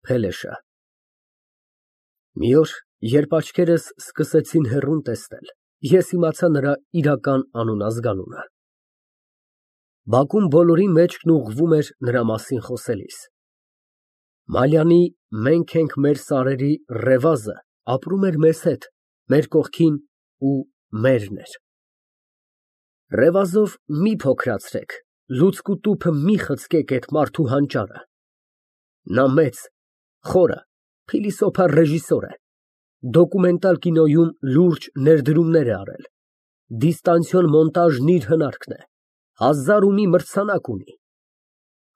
Փելեշը։ Մի օր, երբ աչքերս սկսեցին հեռուն տեսնել, ես իմացա նրա իրական անուն֊ազգանունը։ Բակում բոլորի մեջքն ուղղվում էր նրա մասին խոսելիս։ Մալյանի «Մենք ենք մեր սարերի» ռևազը ապրում էր մեզ հետ, մեր կողքին ու մերն էր։ Ռևազով մի փոքրացրեք, լուցկու տուփը մի խցկեք էդ մարդու հանճարը։ Նա մեծ, խորը, փիլիսոփա ռեժիսոր է, դոկումենտալ կինոյում լուրջ ներդրումներ է արել, դիստանցիոն մոնտաժն իր հնարքն է, 1000 ու մի մրցանակ ունի։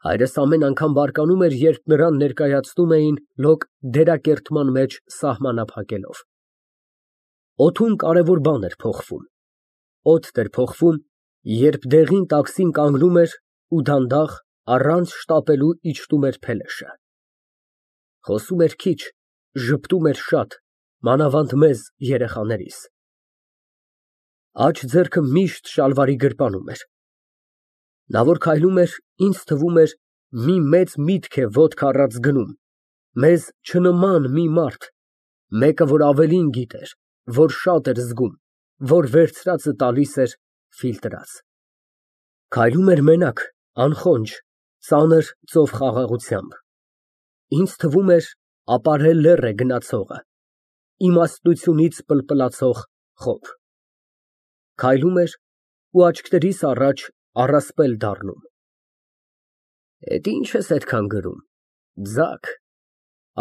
Հայրս ամեն անգամ բարկանում էր, երբ նրան ներկայացնում էին լոկ դերակերտման մեջ սահմանափակելով։ Օդում կարևոր բան էր փոխվում, օդն էր փոխվում, երբ դեղին տաքսին կանգնում էր ու դանդաղ, առանց շտապելու իջնում էր Փելեշը։ Խոսում էր քիչ, ժպտում էր շատ, մանավանդ մեզ երեխաներիս։ Աջ ձեռքը միշտ շալվարի գրպանում էր։ Նա որ քայլում էր, ինձ թվում էր մի մեծ միտք է ոտք առած գնում, մեզ չնման մի մարդ, մեկը, որ ավելին գիտեր, որ շատ էր զգում, որ վերցրածը տալիս էր ֆիլտրած։ Քայլում էր մենակ, անխոնջ, ծանր ծով խաղաղությամբ։ Ինձ թվում էր ապարե լեռ է գնացողը, իմաստնությունից պլպլացող խոփ։ Քայլում էր ու աչքներիս առաջ առասպել դառնում։ Էդ ի՞նչ ես այդքան գրում, ձագ,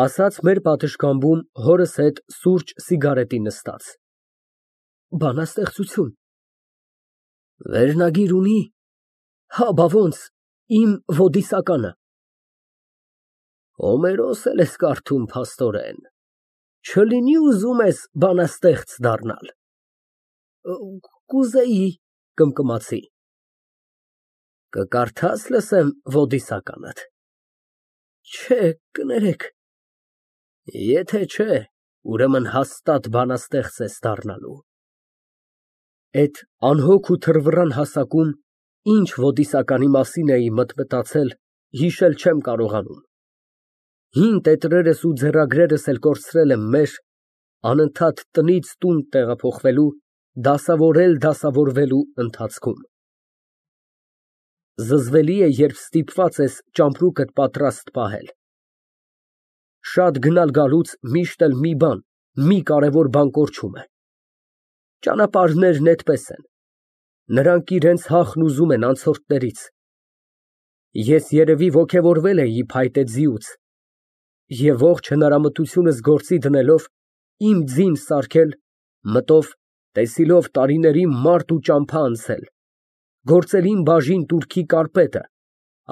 ասաց մեր պատշգամբում հորս հետ սուրճ սիգարետի նստած։ Բանաստեղծություն։ Վերնագիր ունի։ Հա, բա ոնց, իմ ոդիսականը։ Հոմերոս էլ ես կարդում, փաստորեն, չլինի ուզում ես բանաստեղծ դառնալ։ Կուզեի, կմկմացի։ Կկարդա՞ս լսեմ ոդիսականդ։ Չէ, կներեք։ Եթե չէ, ուրեմն հաստատ բանաստեղծ ես դառնալու։ Էդ անհոգ ու թռվռան հասակում ինչ ոդիսականի մասին էի մտմտացել, հիշել չեմ կարողանում։ Հին տետրերս ու ձեռագրերս էլ կորցրել եմ մեր, անընդհատ տնից տուն տեղափոխվելու, դասավորվելու ընթացքում։ Զզվելի է, երբ ստիպված ես ճամպրուկդ պատրաստ պահել։ Շատ գնալ գալուց միշտ էլ մի կարևոր բան կորչում է։ Ճանապարհներն էդպես են, նրանք իրենց հախն ուզում են անցորդներից։ Ես երևի ոգևորվել էի փայտե ձիուց և ողջ հնարամտությունս գործի դնելով, իմ ձին սարքել, մտով, տեսիլով տարիների մարդ ու ճամփա անցել, գործել իմ բաժին տուրքի կարպետը,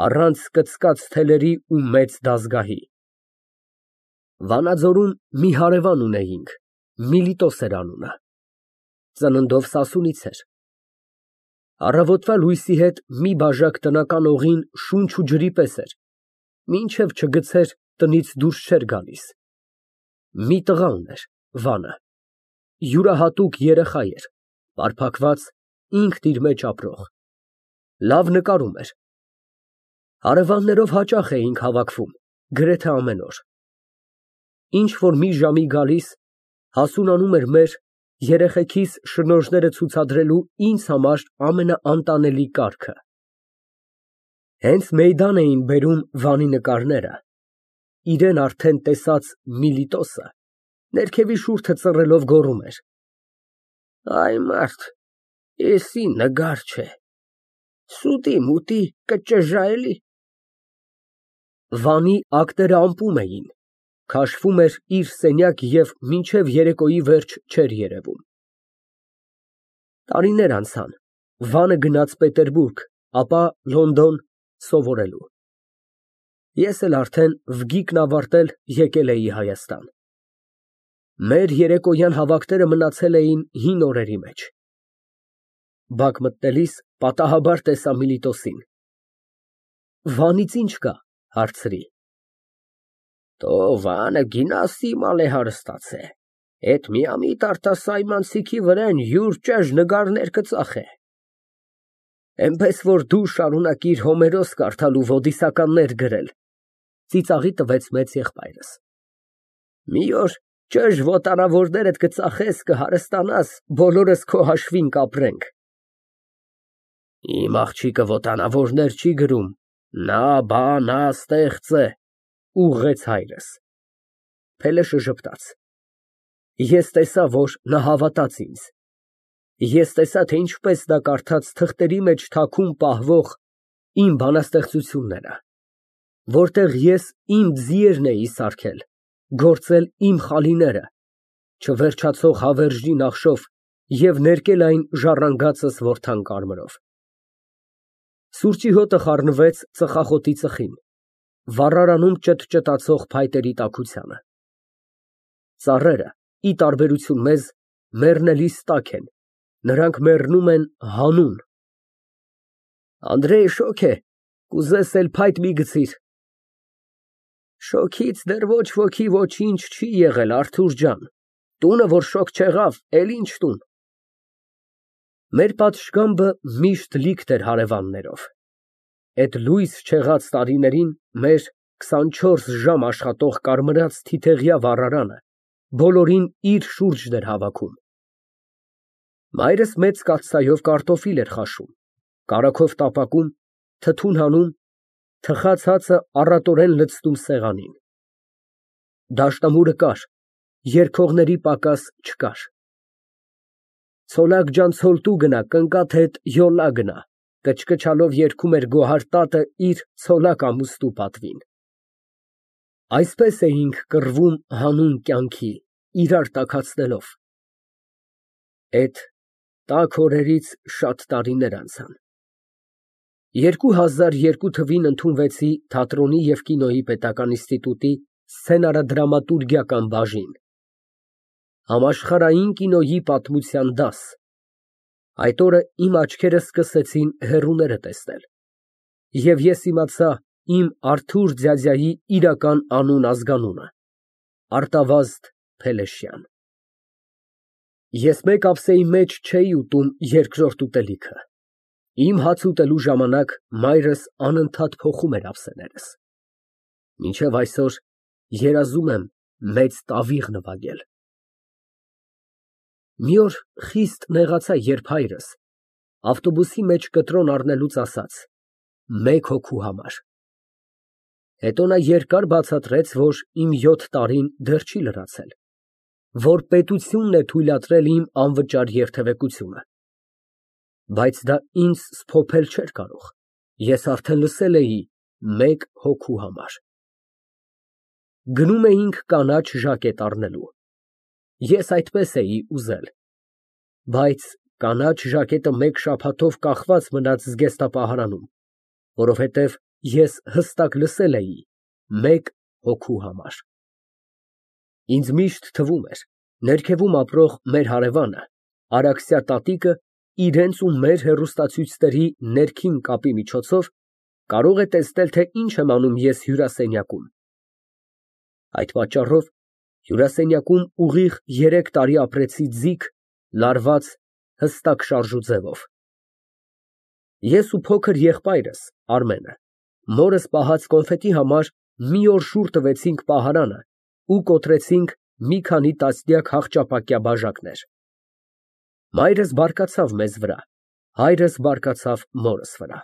առանց կծկած թելերի ու մեծ դազգահի։ Վանաձորում մի հարևան ունեինք, Միլիտոս էր անունը, ծննդով սասունից էր։ Առավոտվա լույսի հետ մի բաժակ տնական օղին շունչ ու ջրի պես էր, մինչև չգցեր, տնից դուրս չէր գալիս։ Մի տղա ուներ, Վանը, յուրահատուկ երեխա էր, պարփակված, ինքն իր մեջ ապրող, լավ նկարում էր։ Հարևաններով հաճախ էինք հավաքվում, գրեթե ամեն օր։ Ինչ որ մի ժամի գալիս, հասունանում էր մեր, երեխեքիս շնորհները ցուցադրելու ինձ համար ամենաանտանելի կարգը։ Հենց մեյդան էին բերում Վանի նկարները, իրեն արդեն տեսած Միլիտոսը ներքևի շուրթը ծռելով գոռում էր. Այ մարդ, էսի նգար չէ, սուտի մուտի կճժա էլի։ Վանի ակները ամպում էին, քաշվում էր իր սենյակ և մինչև երեկոյի վերջ չէր երևում։ Տարիներ անցան, Վանը գնաց Պետերբուրգ, ապա Լոնդոն սովորելու։ Ես էլ արդեն վգիկն ավարտել եկել էի Հայաստան։ Մեր երեկոյան հավաքները մնացել էին հին օրերի մեջ։ Բակ մտնելիս պատահաբար տեսա Միլիտոսին։ Վանից ի՞նչ կա, հարցրի։ Տո Վանը գինասի մալ է հարստացե, էդ միամիտ արտասայմանցիքի վրեն յուր ճեժ նգարներ կծախե։ Էնպես որ դու շարունակիր Հոմերոս կարդալ ու ոդիսականներ գրել, Ծիծաղի տվեց մեծ եղբայրս։ Մի օր ճշ ոտանավորներդ կծախես, կհարստանաս, բոլորս քո հաշվին կապրենք։ Իմ աղջիկը ոտանավորներ չի գրում, նա բանա ստեղծ է, ուղղեց հայրս։ Փելեշը ժպտաց։ Ես տեսա, որ նա հավատաց ինձ։ Ես տեսա, թե ինչպես նա կարդաց թղթերի մեջ թաքուն պահվող իմ բանաստեղծությունները, որտեղ ես իմ ձիերն էի սարքել, գործել իմ խալիները, չվերջացող հավերժի նախշով և ներկել այն ժառանգածս որդան կարմրով։ Սուրճի հոտը խառնվեց ծխախոտի ծխին, վառարանում ճտճտացող փայտերի տաքությանը։ Ծառերը, ի տարբերություն մեզ, մեռնելիս տակ են, նրանք մեռնում են հանուն։ Անդրեյ շոգ է, կուզես էլ փայտ մի գցիր։ Շոգից դեռ ոչ ոքի ոչինչ չի եղել, Արթուր ջան, տունը որ շոգ չեղավ, էլ ինչ տուն։ Մեր պատշգամբը միշտ լիքտ էր հարևաններով։ Էդ լույս չեղած տարիներին մեր 24 ժամ աշխատող կարմրած թիթեղյա վառարանը բոլորին իր շուրջն էր հավաքում։ Մայրս մեծ կաթսայով կարտոֆիլ էր խաշում, կարագով տապակում, թթուն հանում, թխած հացը առատորեն լցնում սեղանին։ Դաշնամուրը կար, երգողների պակաս չկար։ Ցոլակ ջան ցոլտու գնա, կնկաթ հետ յոլա գնա, կչկչալով երգում էր Գոհար տատը իր ցոլակ ամուստու պատվին։ Այսպես էինք կռվում հանուն կյանքի, իրար տաքացնելով։ Էդ տաք օրերից շատ տարիներ անցան։ 2002 թվին ընդունվեցի թատրոնի և կինոյի պետական ինստիտուտի սցենարադրամատուրգիական բաժին։ Համաշխարհային կինոյի պատմության դաս։ Այդ օրը իմ աչքերը սկսեցին հեռուները տեսնել, և ես իմացա իմ Արթուր ձյաձյայի իրական անուն֊ազգանունը՝ Արտավազդ Փելեշյան։ Ես մեկ ափսեի մեջ չէի ուտում երկրորդ ուտելիքը։ Իմ հաց ուտելու ժամանակ մայրս անընդհատ փոխում էր ափսեներս։ Մինչև այսօր երազում եմ մեծ տավիղ նվագել։ Մի օր խիստ նեղացա, երբ հայրս ավտոբուսի մեջ կտրոն առնելուց ասաց. «Մեկ հոգու համար»։ Հետո նա երկար բացատրեց, որ իմ 7 տարին դեռ չի լրացել, որ պետությունն է թույլատրել իմ անվճար երթևեկությունը։ Բայց դա ինձ սփոփել չէր կարող, ես արդեն լսել էի մեկ հոգու համար։ Գնում էինք կանաչ ժակետ առնելու։ Ես այդպես էի ուզել։ Բայց կանաչ ժակետը մեկ շաբաթով կախված մնաց զգեստապահարանում, որովհետև ես հստակ լսել էի մեկ հոգու համար։ Ինձ միշտ թվում էր, ներքևում ապրող մեր հարևանը, Արաքսյա տատիկը, իրենց ու մեր հեռուստացույցների ներքին կապի միջոցով կարող է տեսնել, թե ինչ եմ անում ես հյուրասենյակում։ Այդ պատճառով հյուրասենյակում ուղիղ 3 տարի ապրեցի ձիգ, լարված, հստակ շարժու ձևով։ Ես ու փոքր եղբայրս Արմենը մորս պահած կոնֆետի համար մի օր շուռ տվեցինք պահարանը ու կոտրեցինք մի քանի տասնյակ հախճապակյա բաժակներ։ Մայրս բարկացավ մեզ վրա, հայրս բարկացավ մորս վրա։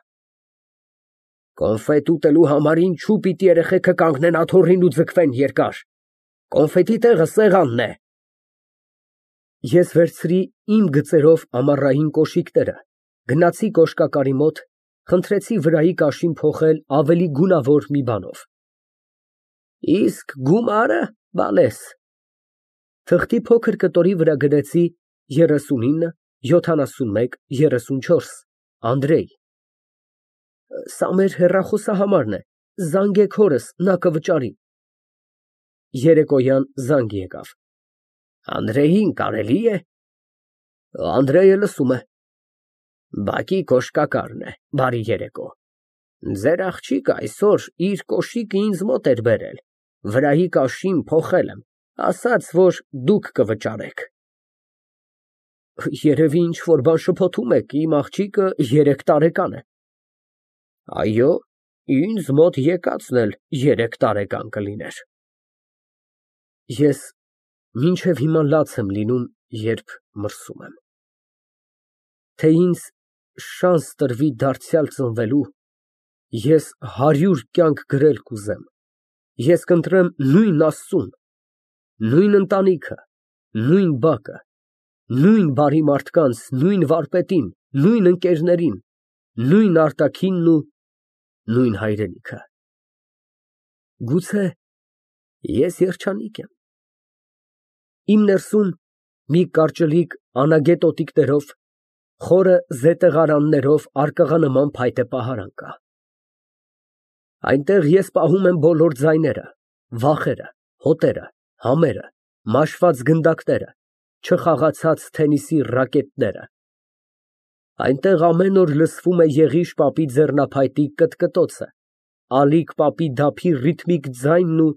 Կոնֆետ ուտելու համար ինչու պիտի երեխեքը կանգնեն աթոռին ու ձգվեն երկար։ Կոնֆետի տեղը սեղանն է։ Ես վերցրի իմ գծերով ամառային կոշիկները, գնացի կոշկակարի մոտ, խնդրեցի վրայի կաշին փոխել ավելի գունավոր մի բանով։ Իսկ գումարը, բալես։ Թղթի փոքր կտորի վրա գրեցի 39 71 34 Անդրեյ։ Սա մեր հեռախոսահամարն է, զանգեք հորս, նա կվճարի։ Երեկոյան զանգ եկավ։ Անդրեյին կարելի է։ Անդրեյը լսում է։ Բակի կոշկակարն է, բարի երեկո։ Ձեր աղջիկը այսօր իր կոշիկը ինձ մոտ էր բերել, վրայի կաշին փոխել եմ, ասաց, որ դուք կվճարեք։ Երևի ինչ֊որ բան շփոթում եք, իմ աղջիկը 3 տարեկան է։ Այո, Ինձ մոտ եկածն էլ 3 տարեկան կլիներ։ Ես մինչև հիմա լաց եմ լինում, երբ մրսում եմ։ Թե ինձ շանս տրվի դարձյալ ծնվելու, ես 100 կյանք գրել կուզեմ, ես կընտրեմ նույն Աստծուն, նույն ընտանիքը, նույն բակը, նույն բարի մարդկանց, նույն վարպետին, նույն ընկերներին, նույն արտաքինն ու նույն հայրենիքը։ Գուցե ես երջանիկ եմ։ Իմ ներսում մի կարճլիկ անագետ օտիկներով, խորը զետեղարաններով արկղանման փայտե պահարան կա։ Այնտեղ ես պահում եմ բոլոր ձայները, վախերը, հոտերը, համերը, մաշված գնդակները, չխաղացած թենիսի ռակետները։ Այնտեղ ամեն օր լսվում է Եղիշ պապի ձեռնափայտի կտկտոցը, Ալիկ պապի դափի ռիթմիկ ձայնն ու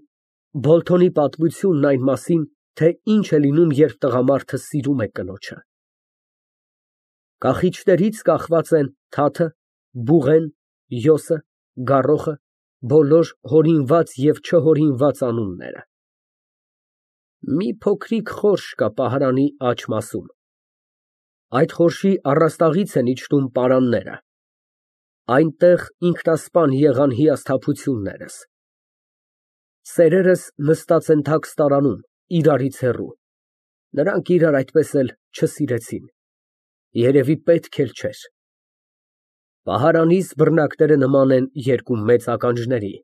Բոլթոնի պատմությունն այն մասին, թե ինչ է լինում, երբ տղամարդը սիրում է կնոջը։ Կախիչներից կախված են թաթը, բուղեն, յոսը, գառոխը, բոլոր հորինված և չհորինված անունները։ Մի փոքրիկ խորշ կա պահարանի աջ մասում։ Այդ խորշի առաստաղից են իջնում պարանները։ Այնտեղ ինքնասպան եղան հիասթափություններս։ Սերերս նստած են թաքստարանում, իրարից հեռու, նրանք իրար այդպես էլ չսիրեցին, երևի պետք էլ չէր։ Պահարանիս բռնակները նման են 2 մեծ ականջների,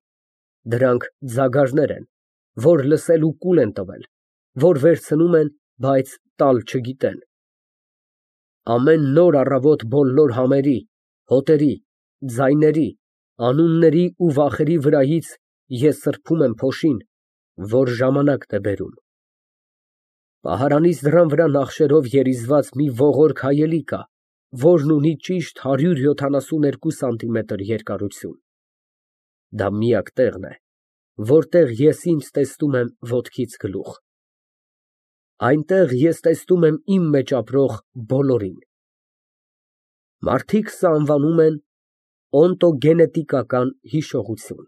դրանք ձագարներ են, որ լսելու կուլ են տվել, որ վերցնում են, բայց տալ չգիտեն։ Ամեն նոր առավոտ բոլոր համերի, հոտերի, ձայների, անունների ու վախերի վրայից ես սրբում եմ փոշին, որ ժամանակն է բերում։ Պահարանիս դռան վրա նախշերով երիզված մի ողորկ հայելի կա, որն ունի ճիշտ 172 սանտիմետր երկարություն։ Դա միակ տեղն է, որտեղ ես ինձ տեսնում եմ ոտքից գլուխ։ Այնտեղ ես տեսնում եմ իմ մեջ ապրող բոլորին։ Մարդիկ սա անվանում են օնտոգենետիկական հիշողություն։